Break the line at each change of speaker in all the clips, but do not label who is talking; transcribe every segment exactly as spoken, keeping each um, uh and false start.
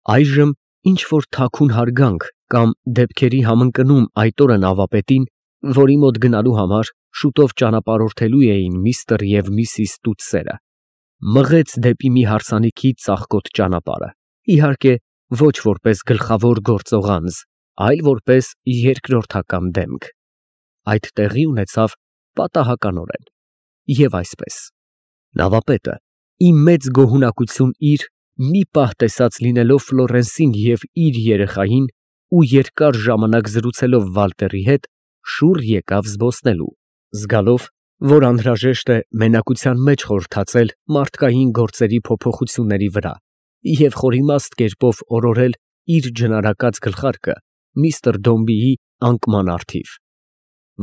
Այժմ ինչ-որ թաքուն հարգանք կամ դեպքերի համընկնում այդ օրը նավապետին, որի մոտ գնալու համար շուտով ճանապարհորդելու էին միստր և միսիս Տուդսերը, մղեց դեպի մի հարսանիքից ծաղկոտ ճանապարհը, իհարկե, ոչ որպես գլխավոր գործող անձ, այլ որպես երկրորդական դեմք. այդ տեղի ունեցավ պատահականորեն և այսպես. նավապետը ի մեծ գոհունակություն իր, մի պահ տեսած լինելով Ֆլորենսին և իր երեխային ու երկար ժամանակ զրուցելով Վալտերի հետ, շուռ եկավ զբոսնելու, զգալով, որ անհրաժեշտ է մենակության մեջ խորհրդածել մարդկային գործերի փոփոխությունների վրա և խորիմաստ կերպով օրորել իր ջնարակած գլխարկը միստր Դոմբիի անկման առթիվ,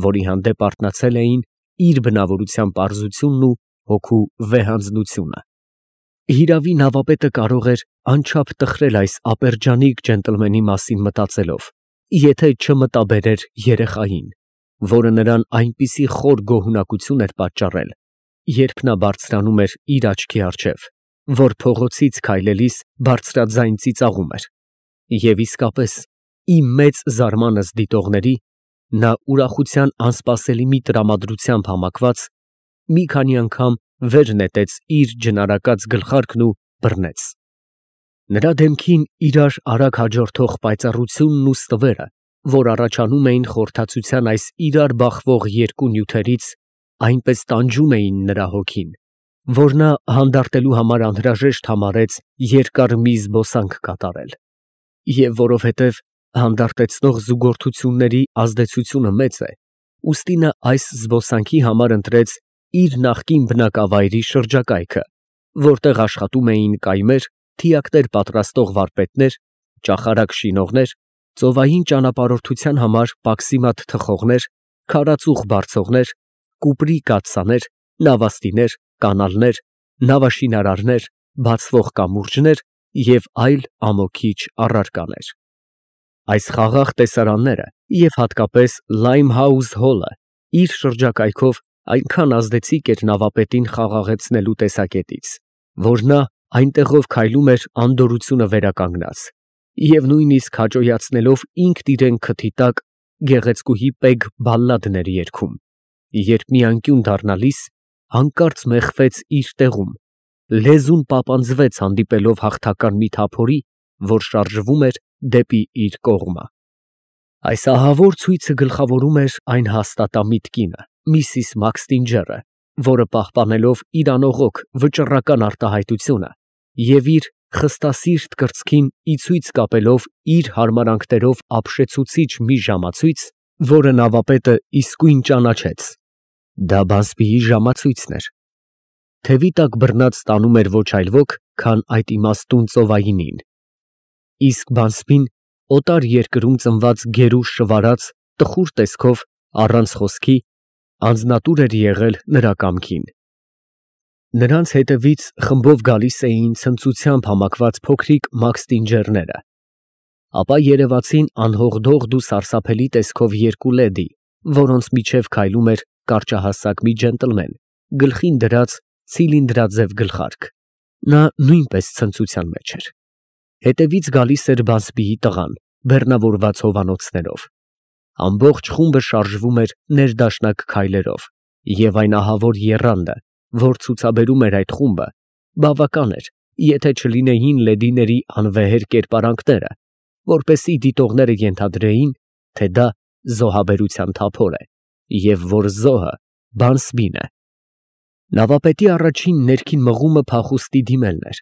որի հանդեպ արթնացել էին իր բնավորության պարզությունն ու հոգու վեհանձնությունը։ Հիրավի, նավապետը կարող էր անչափ տխրել այս ապերջանիկ ջենտլմենի մասին մտածելով, եթե չմտաբերեր երեխային, որը նրան այնպիսի խոր գոհունակություն էր պատճառել, երբ նա բարձրանում էր իր աչքի առջև, որ փողոցից քայլելիս բարձրաձայն ծիծաղում էր, և իսկապես, ի մեծ զարմանս դիտողների, նա ուրախության անսպասելի մի տրամադրությամբ համակված, մի քանի անգամ վեր նետեց իր ջնարակած գլխարկն ու բռնեց։ Նրա դեմքին իրար արագ հաջորդող պայծառությունն ու ստվերը, որ առաջանում էին խորհրդածության այս իրար բախվող երկու նյութերից, այնպես տանջում էին նրա հոգին, որ նա հանդարտելու համար անհրաժեշտ համարեց երկար մի զբոսանք կատարել, և որովհետև հանդարտեցնող զուգորդությունների ազդեցությունը մեծ է, ուստի նա այս զբոսանքի համար ընտրեց իր նախկին բնակավայրի շրջակայքը, որտեղ աշխատում էին կայմեր, թիակներ պատրաստող վարպետներ, ճախարակ շինողներ, ծովային ճանապարհորդության համար պաքսիմատ թխողներ, քարածուխ բարձողներ, կուպրի կաթսաներ, նավաստիներ, կանալներ, նավաշինարարներ, բացվող կամուրջներ և այլ ամոքիչ առարկաներ։ Այս խաղաղ տեսարանները և հատկապես Լայմհաուս հոլը իր շրջակայքով այնքան ազդեցիկ էր նավապետին խաղաղեցնելու տեսակետից, որ նա այնտեղով քայլում էր անդորրությունը վերականգնած և նույնիսկ հաճոյացնելով ինքն իրեն քթի տակ, գեղեցկուհի Պեգ բալլադներ երգում, երբ մի անկյուն դառնալիս, հանկարծ մեխվեց իր տեղում, լեզուն պապանձվեց հանդիպելով հաղթական մի թափորի, որ շարժվում էր դեպի իր կողմը։ Այս ահավոր ցույցը գլխավորում էր այն հաստատամիտ կինը, միսիս Մաքսթինջերը, որը պահպանելով իր անողոք վճռական արտահայտությունը և իր խստասիրտ կրծքին ի ցույց կապելով իր հարմարանքներով ապշեցուցիչ մի ժամացույց, որը նավապետը իսկույն ճանաչեց, դա Բանսբիի ժամացույցն էր, թևի տակ բռնած տանում էր ոչ այլ ոք, քան այդ իմաստուն ծովայինին, իսկ Բանսբին օտար երկրում ծնված գերուժ շվարած, տխուր տեսքով, առանց խոսքի, անձնատուր էր եղել նրա կամքին։ Նրանց հետևից խմբով գալիս էին ցնծությամբ համակված փոքրիկ Մաքսթինջերները, ապա երևացին անհողդողդ ու սարսափելի տեսքով երկու լեդի, որոնց միջև քայլում էր կարճահասակ մի ջենտլմեն, գլխին դրած ցիլինդրաձև գլխարկ, նա նույնպես ցնծության մեջ էր։ Հետևից գալիս էր Բանսբիի տղան, բեռնավորված հովանոցներով։ Ամբողջ խումբը շարժվում էր ներդաշնակ քայլերով, և այն ահավոր եռանդը, որ ցուցաբերում էր այդ խումբը, բավական էր, եթե չլինեին լեդիների անվեհեր կերպարանքները, որպեսզի դիտողները ենթադրեին, թե դա զոհաբերության թափոր է, և որ զոհը Բանսբին է։ Նավապետի առաջին ներքին մղումը փախուստի դիմելն էր,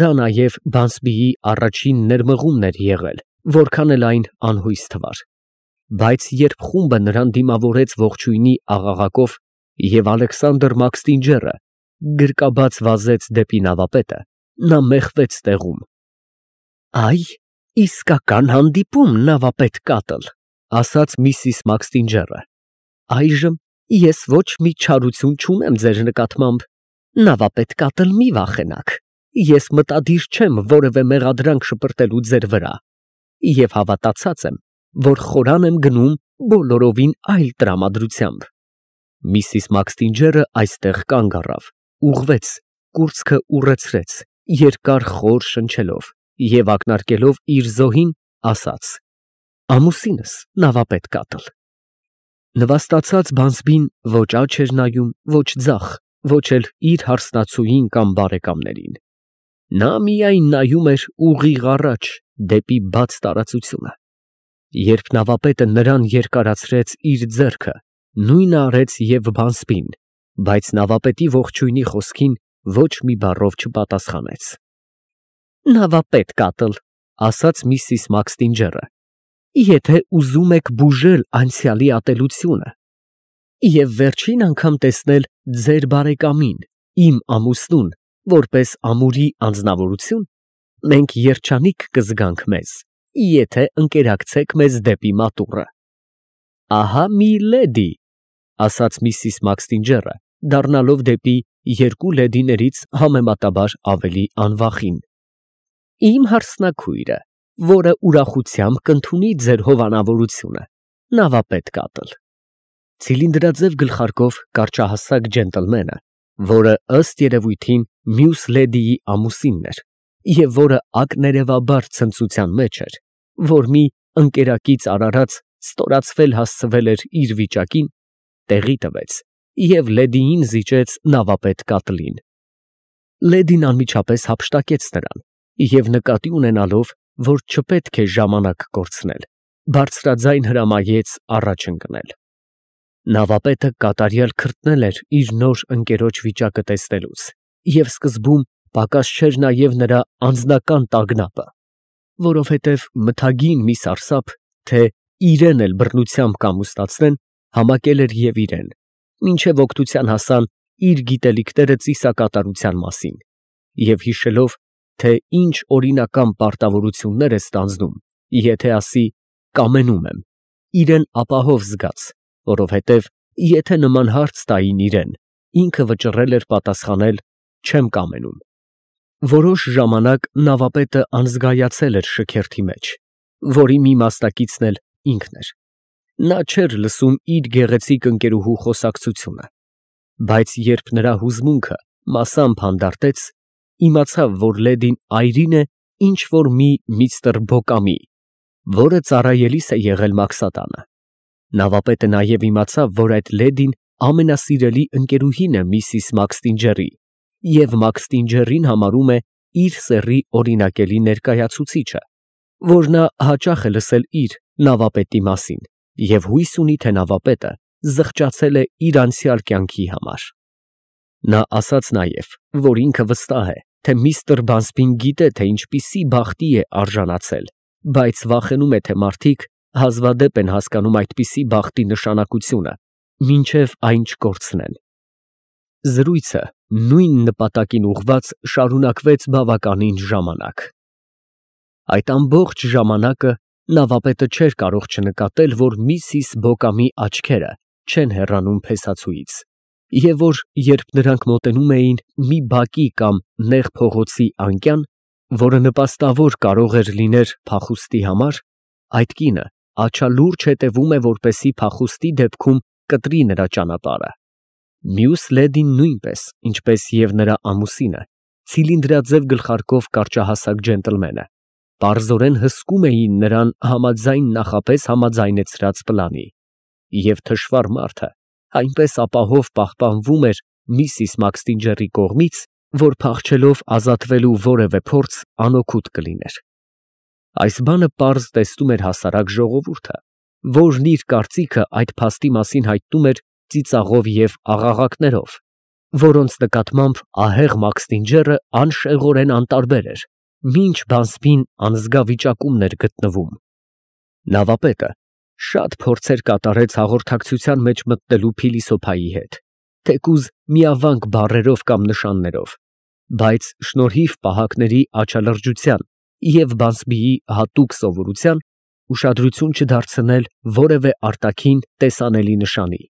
դա նաև Բանսբիի առաջին ներմղումն էր եղել, որքան էլ այն անհույս թվար, բայց երբ խումբը նրան դիմավորեց ողջույնի աղաղակով և Ալեքսանդր Մաքսթինջերը գրկաբաց վազեց դեպի նավապետը, նա մեխվեց տեղում։ «Այ, իսկական հանդիպում, նավապետ Կատլ», ֊ ասաց միսիս Մաքսթինջերը, ֊ այժմ ես ոչ մի չարություն չունեմ ձեր նկատմամբ, նավապետ Կատլ, մի վախենաք, ես մտադիր չեմ որևէ մեղադրանք շպրտելու ձեր վրա և հավատացած եմ, որ խորան եմ գնում բոլորովին այլ տրամադրությամբ։ Միսիս Մաքսթինջերը այստեղ կանգ առավ, ուղղվեց, կուրծքը ուռեցրեց, երկար խոր շնչելով և ակնարկելով իր զոհին, ասաց. «Ամուսինս նավապետ կատլ»։ Նվաստացած բանսբին ոչ աջ էր նայում, ոչ ձախ, ոչ էլ իր հարսնացուին կամ բարեկամներին. նա միայն նայում էր ուղիղ առաջ, դեպի բաց տարածությունը։ Երբ նավապետը նրան երկարացրեց իր ձեռքը, նույնը արեց և բանսբին, բայց նավապետի ողջույնի խոսքին ոչ մի բառով չպատասխանեց։ «Նավապետ կատլ», ասաց միսիս Մաքսթինջերը, «եթե ուզում եք բուժել անցյալի ատելությունը և վերջին անգամ տեսնել ձեր բարեկամին, իմ ամուսնուն, որպես ամուրի անձնավորություն, մենք երջանիկ կզգանք մեզ, եթե ընկերակցեք մեզ դեպի մատուռը»։ «Ահա մի լեդի», ասաց միսիս Մաքսթինջերը, դառնալով դեպի երկու լեդիներից համեմատաբար ավելի անվախին, «իմ հարսնաքույրը, որը ուրախությամբ կընդունի ձեր հովանավորությունը, նավապետ կատլ»։ Ցիլինդրաձև գլխարկով կարճահասակ ջենտլմենը, որը ըստ երևույթին մյուս լեդիի ամուսինն էր և որը ակներևաբար ցնծության մեջ էր, որ մի ընկերակից արարած ստորացվել հասցվել էր իր վիճակին, տեղի տվեց և լեդիին զիջեց նավապետ կատլին։ Լեդին անմիջապես հափշտակեց նրան և նկատի ունենալով, որ չպետք է ժամանակ կորցնել, բարձրաձայն հրամայեց առաջ ընկնել։ Նավապետը կատարյալ քրտնել էր իր նոր ընկերոջ վիճակը տեսնելուց և սկզբում պակաս չէր նաև նրա անձնական տագնապը, որովհետև մթագին մի սարսափ, թե իրեն էլ բռնությամբ կամուստացնեն, համակել էր և իրեն, մինչև օգնության հասան իր գիտելիքները ծիսակատարության մասին, և հիշելով, թե ինչ օրինական պարտավորություններ է ստանձնում, եթե ասի «կամենում եմ», իրեն ապահով զգաց, որովհետև եթե նման հարց տային իրեն, ինքը վճռել էր պատասխանել «չեմ կամենում»։ Որոշ ժամանակ նավապետը անզգայացել էր շքերթի մեջ, որի մի մասնակիցն էլ ինքն էր։ Նա չէր լսում իր գեղեցիկ ընկերուհու խոսակցությունը, բայց երբ նրա հուզմունքը մասամբ հանդարտեց, իմացավ, որ լեդին այրին է ինչ֊որ մի միստր Բոկամի, որը ծառայելիս է եղել Մաքսատանը։ Նավապետը նաև իմացավ, որ այդ լեդին ամենասիրելի ընկերուհին է միսիս Մաքսթինջերի և Մաքսթինջերին համարում է իր սեռի օրինակելի ներկայացուցիչը, որ նա հաճախ է լսել իր՝ նավապետի մասին և հույս ունի, թե նավապետը զղջացել է իր անցյալ կյանքի համար։ Նա ասաց նաև, որ ինքը վստահ է, թե միստր Բանսբին գիտե, թե ինչպիսի բախտի է արժանացել, բայց վախենում է, թե մարդիկ հազվադեպ են հասկանում այդպիսի բախտի նշանակությունը, մինչև այն չկորցնեն։ Զրույցը նույն նպատակին ուղղված շարունակվեց բավականին ժամանակ։ Այդ ամբողջ ժամանակը նավապետը չէր կարող չնկատել, որ միսիս Բոկամի աչքերը չեն հեռանում փեսացուից, և որ երբ նրանք մոտենում էին մի բակի կամ նեղ փողոցի անկյան, որը նպաստավոր կարող էր լինել փախուստի համար, այդ կինը աչալուրջ հետևում է, որպեսզի փախուստի դեպքում կտրի նրա ճանապարհը։ Մյուս լեդին նույնպես, ինչպես և նրա ամուսինը, ցիլինդրաձև գլխարկով կարճահասակ ջենտլմենը, պարզորեն հսկում էին նրան համաձայն նախապես համաձայնեցրած պլանի, և թշվառ մարդը այնպես ապահով պահպանվում էր միսիս Մաքսթինջերի կողմից, որ փախչելով ազատվելու որևէ փորձ անօգուտ կլիներ։ Այս բանը պարզ տեսնում էր հասարակ ժողովուրդը, որն իր կարծիքը այդ փաստի մասին հայտնում էր ծիծաղով և աղաղակներով, որոնց նկատմամբ ահեղ Մաքսթինջերը անշեղորեն անտարբեր էր, մինչ Բանսբին անզգա վիճակումն էր գտնվում։ Նավապետը շատ փորձեր կատարեց հաղորդակցության մեջ մտնելու փիլիսոփայի հետ, թեկուզ միավանք բառերով կամ նշաններով, բայց շնորհիվ պահակների աչալրջության և Բանսբիի հատուկ սովորության, ուշադրություն չդարձնել որևէ արտաքին տեսանելի նշանի,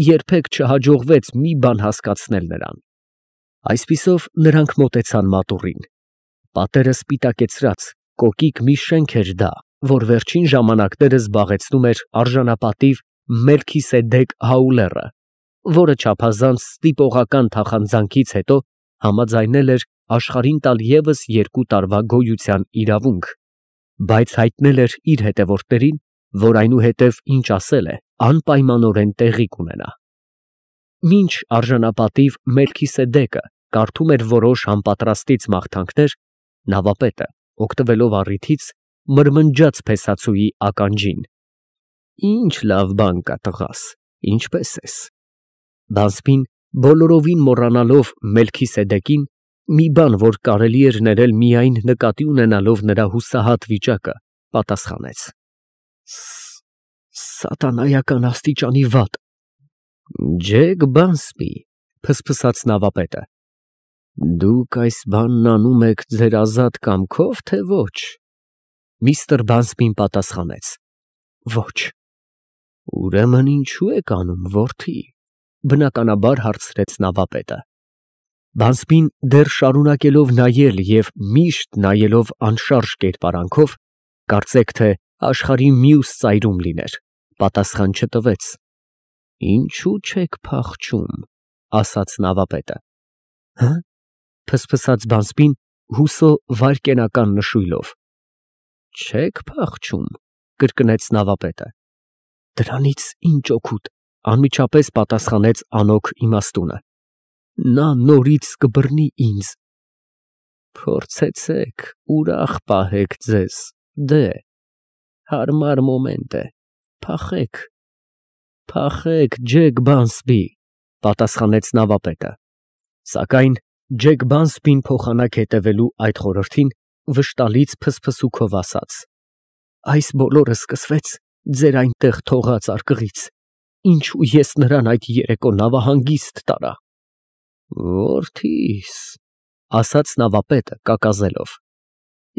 երբեք չհաջողվեց մի բան հասկացնել նրան։ Այսպիսով նրանք մոտեցան մատուռին։ Պատերը սպիտակեցրած, կոկիկ մի շենք էր դա, որ վերջին ժամանակներս զբաղեցնում էր արժանապատիվ Մելքիսեդեկ Հաուլերը, որը չափազանց ստիպողական թախանձանքից հետո համաձայնել էր աշխարհին տալ ևս երկու տարվա գոյության իրավունք, բայց հայտնել էր իր հետևորդներին, որ այնուհետև ինչ ասել է, անպայմանորեն տեղի կունենա։ Մինչ արժանապատիվ Մելքիսեդեկը կարդում էր որոշ համապատրաստից մաղթանքներ, նավապետը, օգտվելով առիթից, մրմնջաց փեսացուի ականջին. «Ինչ լավ բան կա, տղաս, ինչպե՞ս ես»։ Բազբին, բոլորովին մոռանալով Մելքիսեդեկին, մի բան, որ կարելի էր ներել միայն նկատի ունենալով նրա հուսահատ վիճակը, պատասխանեց. «Սատանայական աստիճանի վատ»։ «Ջեկ Բանսբի», փսփսաց նավապետը, «դուք այս բանն անում եք ձեր ազատ կամքո՞վ, թե ոչ»։ Միստր Բանսբին պատասխանեց. «Ոչ»։ «Ուրեմն ինչո՞ւ եք անում, որդի», բնականաբար հարցրեց նավապետը։ Բանսբին, դեռ շարունակելով նայել և միշտ նայելով անշարժ կերպարանքով, կարծեք թե աշխարհի մյուս ծայրում լիներ, պատասխան չտվեց։ «Ինչու չեք փախչում», ասաց նավապետը։ «Հը՞», փսփսաց Բանսբին, հուսո վայրկենական նշույլով։ «Չեք փախչում», կրկնեց նավապետը։ «Դրանից ինչ օգուտ», անմիջապես պատասխանեց անոք իմաստունը։ «Նա նորից կբռնի ինձ»։ «Փորձեցեք, ուրախ պահեք ձեզ, դե, հարմար մոմենտ է, փախեք»։ «Փախեք, Ջեք Բանսբի», պատասխանեց նավապետը։ Սակայն Ջեք Բանսբին փոխանակ հետևելու այդ խորհրդին, վշտալից փսփսուքով ասաց. «Այս բոլորը սկսվեց ձեր այնտեղ թողած արկղից, ինչու ես նրան այդ երեկո նավահանգիստ տարա»։ «Որդիս», ասաց նավապետը կակազելով,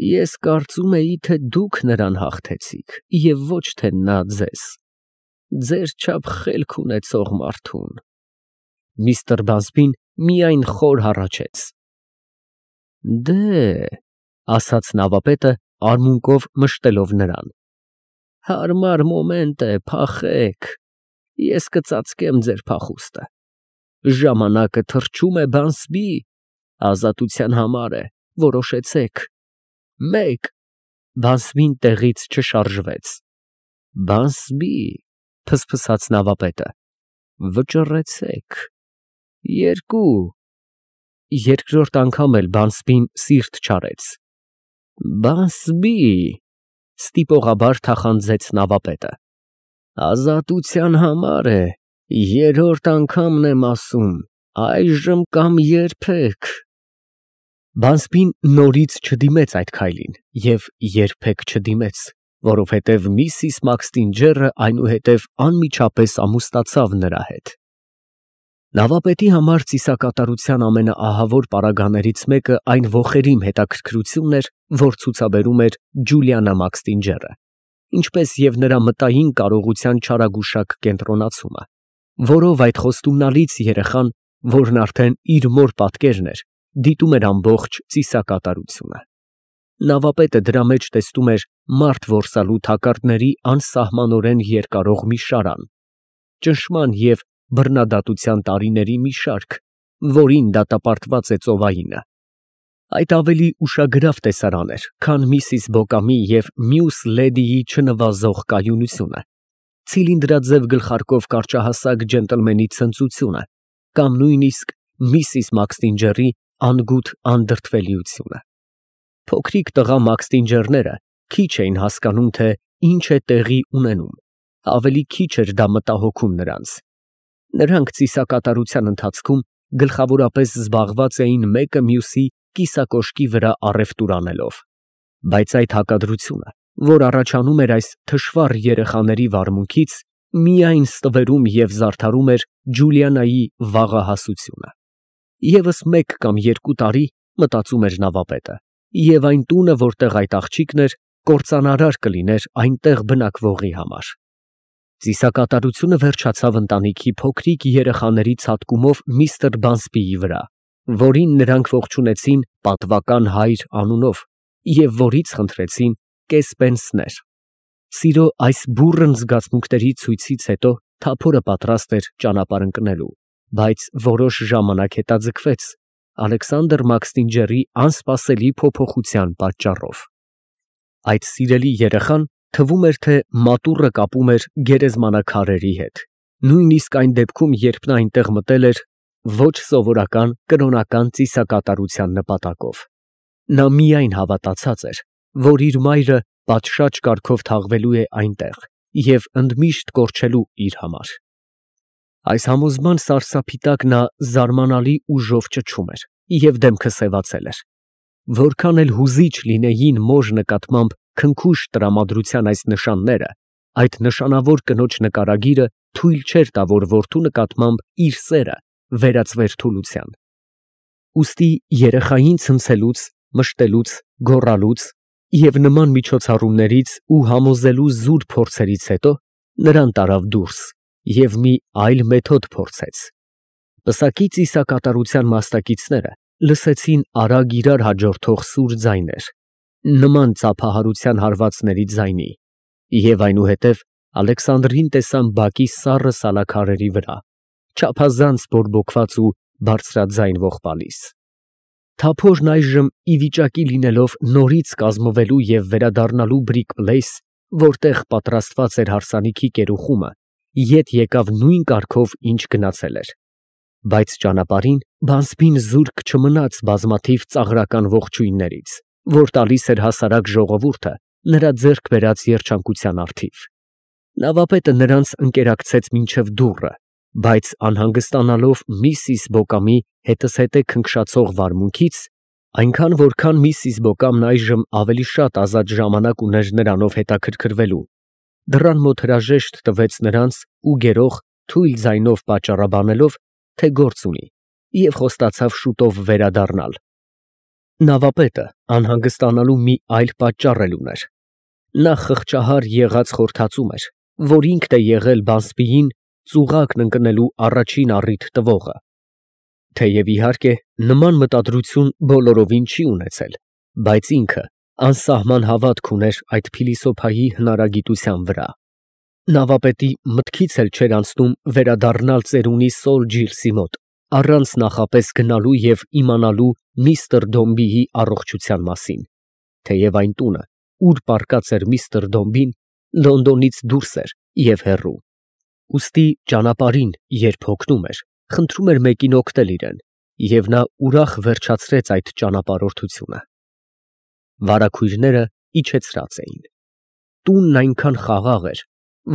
«ես կարծում էի, թե դուք նրան հաղթեցիք և ոչ թե նա ձեզ, ձեր չափ խելք ունեցող մարդուն»։ Միստր Բանսբին միայն խոր հառաչեց։ «Դե», ասաց նավապետը, արմունկով մշտելով նրան, «հարմար մոմենտ է, փախեք, ես կծածկեմ ձեր փախուստը։ Ժամանակը թռչում է, Բանսբի, ազատության համար է, որոշեցեք։ Մեկ»։ Բանսբին տեղից չշարժվեց։ «Բանսբի», փսփսաց նավապետը, «վճռեցեք։ Երկու»։ Երկրորդ անգամ էլ Բանսբին սիրտ չարեց։ «Բանսբի», ստիպողաբար թախանձեց նավապետը, «ազատության համար է, երրորդ անգամն եմ ասում, այժմ կամ երբեք»։ Բանսբին նորից չդիմեց այդ քայլին և երբեք չդիմեց, որովհետև միսիս Մաքսթինջերը այնուհետև անմիջապես ամուսնացավ նրա հետ։ Նավապետի համար ծիսակատարության ամենաահավոր պարագաներից մեկը այն ոխերիմ հետաքրքրությունն էր, որ ցուցաբերում էր Ջուլիանա Մաքսթինջերը, ինչպես և նրա մտային կարողության չարագուշակ կենտրոնացումը, որով այդ խոստումնալից երեխան, որն արդեն իր մոր պատկերն էր, դիտում էր ամբողջ ծիսակատարությունը։ Նավապետը դրա մեջ տեսնում էր մարդ որսալու թակարդների անսահմանորեն երկարող մի շարան, ճնշման և բռնադատության տարիների մի շարք, որին դատապարտված է ծովայինը։ Այդ ավելի ուշագրավ տեսարան էր, քան միսիս Բոկամի և մյուս լեդիի չնվազող կայունությունը, ցիլինդրաձև գլխարկով կարճահասակ ջենտլմենի ցնծությունը կամ նույնիսկ միսիս Մաքսթինջերի անգութ անդրդվելիությունը։ Փոքրիկ տղա Մաքսթինջերները քիչ էին հասկանում, թե ինչ է տեղի ունենում, ավելի քիչ էր դա մտահոգում նրանց։ Նրանք ծիսակատարության ընթացքում գլխավորապես զբաղված էին մեկը մյուսի կիսակոշկի վրա առևտուր անելով, բայց այդ հակադրությունը, որ առաջանում էր այս թշվառ երեխաների վարմունքից, միայն ստվերում և զարդարում էր Ջուլիանայի վաղահասությունը։ Եվս մեկ կամ երկու տարի, մտածում էր նավապետը, և այն տունը, որտեղ այդ աղջիկն էր, կործանարար կլիներ այնտեղ բնակվողի համար։ Ծիսակատարությունը վերջացավ ընտանիքի փոքրիկ երեխաների ցատկումով միստր Բանսբիի վրա, որին նրանք ողջունեցին պատվական հայր անունով և որից խնդրեցին կես պենսներ։ Սիրո այս բուռն զգացմունքների ցույցից հետո թափորը պատրաստ էր ճանապարհ ընկնելու, բայց որոշ ժամանակ հետաձգվեց, Ալեքսանդր Մաքսինջերի անսպասելի փոփոխության պատճառով։ Այդ սիրելի երեխան թվում էր, թե մատուռը կապում էր գերեզմանակարերի հետ, նույնիսկ այն դեպքում, երբ նա այնտեղ մտել էր ոչ սովորական կրոնական ծիսակատարության նպատակով։ Նա միայն հավատացած էր, որ իր մայրը պատշաճ կարգով թաղվելու է այնտեղ և ընդմիշտ կորչելու իր համար։ Այս համոզման սարսափի տակ նա զարմանալի ուժով ճչում էր և դեմքը սևացել էր։ Որքան էլ հուզիչ լինեին մոր նկատմամբ քնքուշ տրամադրության այս նշանները, այդ նշանավոր կնոջ նկարագիրը թույլ չէր տա, որ որդու նկատմամբ իր սերը վերածվեր թուլության։ Ուստի երեխային ցնցելուց, մշտելուց, գոռալուց և նման միջոցառումներից ու համոզելու զուր փորձերից հետո նրան տարավ դուրս և մի այլ մեթոդ փորձեց։ Պսակի ծիսակատարության մասնակիցները լսեցին արագ իրար հաջորդող սուր ձայներ, նման ծափահարության հարվածների ձայնի, և այնուհետև Ալեքսանդրին տեսան բակի սառը սալաքարերի վրա, չափազանց բորբոքված ու բարձրաձայն ողբալիս։ Թափորն այժմ ի վիճակի լինելով նորից կազմվելու և վերադառնալու Բրիկ֊Պլեյս, որտեղ պատրաստված էր հարսանիքի կերուխումը, ետ եկավ նույն կարգով, ինչ գնացել էր։ Բայց ճանապարհին բանսբին զուրկ չմնաց բազմաթիվ ծաղրական ողջույններից, որ տալիս էր հասարակ ժողովուրդը նրա ձեռք բերած երջանկության առթիվ։ Նավապետը նրանց ընկերակցեց մինչև դուռը, բայց անհանգստանալով միսիս Բոկամի հետզհետե քնքշացող վարմունքից, այնքան, որքան միսիս Բոկամն այժմ ավելի շատ ազատ ժամանակ ուներ նրանով հետաքրքրվելու, դռան մոտ հրաժեշտ տվեց նրանց ու գերող թույլ ձայնով պատճառաբանելով, թե գործ ունի, և խոստացավ շուտով վերադառնալ։ Նավապետը անհանգստանալու մի այլ պատճառ էլ ուներ. նա խղճահար եղած խորթածում էր, որ ինքն է եղել բանսբիին ծուղակն ընկնելու առաջին առիթ տվողը։ Թեև, իհարկե, նման մտադրություն բոլորովին չի ունեցել, բայց ինքը անսահման հավատք ուներ այդ փիլիսոփայի հնարագիտության վրա։ Նավապետի մտքից էլ չէր անցնում վերադառնալ ծերունի Սոր Ջիլսի մոտ, առանց նախապես գնալու և իմանալու միստր Դոմբիի առողջության մասին, թեև այն տունը, ուր պառկած էր միստր Դոմբին, Լոնդոնից դուրս էր և հեռու։ Ուստի ճանապարհին, երբ հոգնում էր, խնդրում էր մեկին օգնել իրեն, և նա ուրախ վերջացրեց այդ ճանապարհորդությունը։ Վարագույրները իջեցրած էին։ Տունն այնքան խաղաղ էր,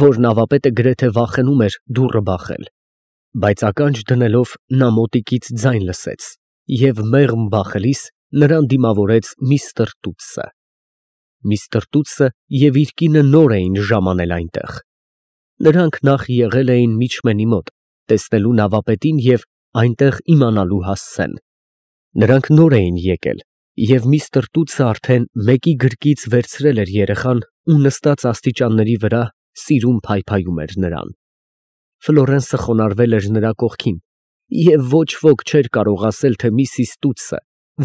որ նավապետը գրեթե վախենում էր դուռը բախել, բայց ականջ դնելով նա մոտիկից ձայն լսեց և մեղմ բախելիս նրան դիմավորեց միստր Տուտսը։ Միստր Տուտսը և իր կինը նոր էին ժամանել այնտեղ։ Նրանք նախ եղել էին միջմենի մոտ, տեսնելու նավապետին և այնտեղ իմանալու հասցեն։ Նրանք նոր էին եկել, և միստր Տուտսը արդեն մեկի գրկից վերցրել էր երեխան ու նստած աստիճանների վրա սիրուն փայփայում էր նրան։ Ֆլորենսը խոնարհվել էր նրա կողքին, և ոչ ոք չէր կարող ասել, թե միսիս Տուտսը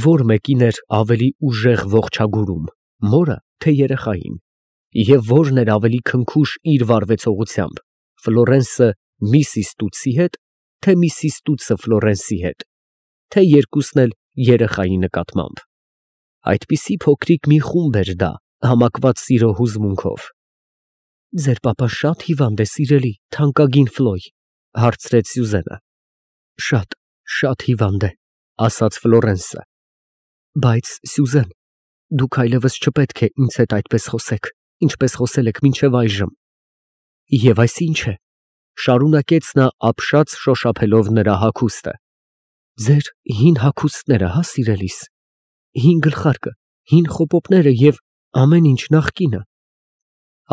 որ մեկին էր ավելի ուժեղ ողջագուրում՝ մորը, թե երեխային, և որն էր ավելի քնքուշ իր վարվեցողությամբ՝ Ֆլորենսը միսիս Տուտսի հետ, թե միսիս Տուտսը Ֆլորենսի հետ, թե երկուսն էլ երեխայի նկատմամբ։ Այդպիսի փոքրիկ մի խումբ էր դա, համակված սիրո հուզմունքով։ ֊ Ձեր պապան շա՞տ հիվանդ է, սիրելի, թանկագին Ֆլոյ, ֊ հարցրեց Սյուզենը։ ֊ Շատ, շատ հիվանդ է, ֊ ասաց Ֆլորենսը։ ֊ Բայց, Սյուզեն, դուք այլևս չպետք է ինձ հետ այդպես խոսեք, ինչպես խոսել եք մինչև այժմ։ ֊ Եվ այս ի՞նչ է, ֊ շարունակեց նա ապշած շոշափելով նրա հագուստը։ ֊ Ձեր հին հագուստները, հա, սիրելիս, հին գլխարկը, հին խոպոպները և ամեն ինչ նախկինը։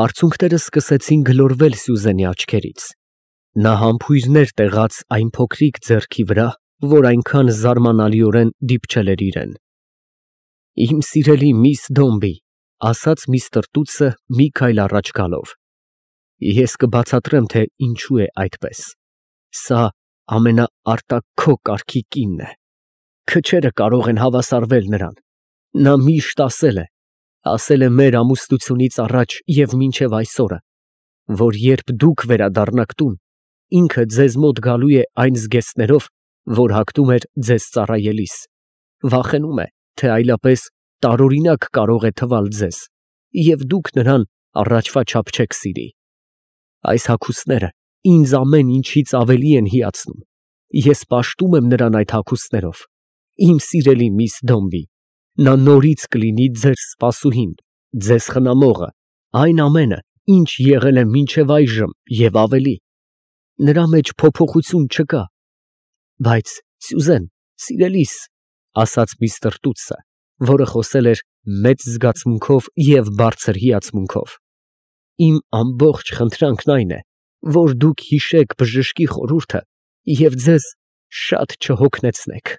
Արցունքները սկսեցին գլորվել Սյուզենի աչքերից։ Նա համբույրներ տեղաց այն փոքրիկ ձեռքի վրա, որ այնքան զարմանալիորեն դիպչել էր իրեն։ ֊ Իմ սիրելի միս Դոմբի, ֊ ասաց միստր Տուտսը մի քայլ առաջ գալով, ֊ ես կբացատրեմ, թե ինչու է այդպես։ Սա ամենաարտաքո կարգի կինն է։ Քչերը կարող են հավասարվել նրան։ Նա միշտ ասել է, ասել է մեր ամուսնությունից առաջ և մինչև այսօրը, որ երբ դուք վերադառնաք տուն, ինքը ձեզ մոտ գալու է այն զգեստներով, որ հագնում էր ձեզ ծառայելիս։ վախենում է, թե այլապես տարօրինակ կարող է թվալ ձեզ, և դուք նրան առաջվա չափ չեք սիրի։ Այս հագուստները ինձ ամեն ինչից ավելի են հիացնում, ես պաշտում եմ նրան այդ հագուստներով, իմ սիրելի միս Դոմբի, նա նորից կլինի ձեր սպասուհին, ձեզ խնամողը, այն ամենը, ինչ եղել է մինչև այժմ և ավելի, նրա մեջ փոփոխություն չկա։ Բայց, Սյուզեն, սիրելիս, ֊ ասաց միստր Տուտսը, որը խոսել էր մեծ զգացմունքով և բարձր հիացմունքով, ֊ իմ ամբողջ խնդրանքն այն է, որ դուք հիշեք բժշկի խորհուրդը և ձեզ շատ չհոգնեցնեք։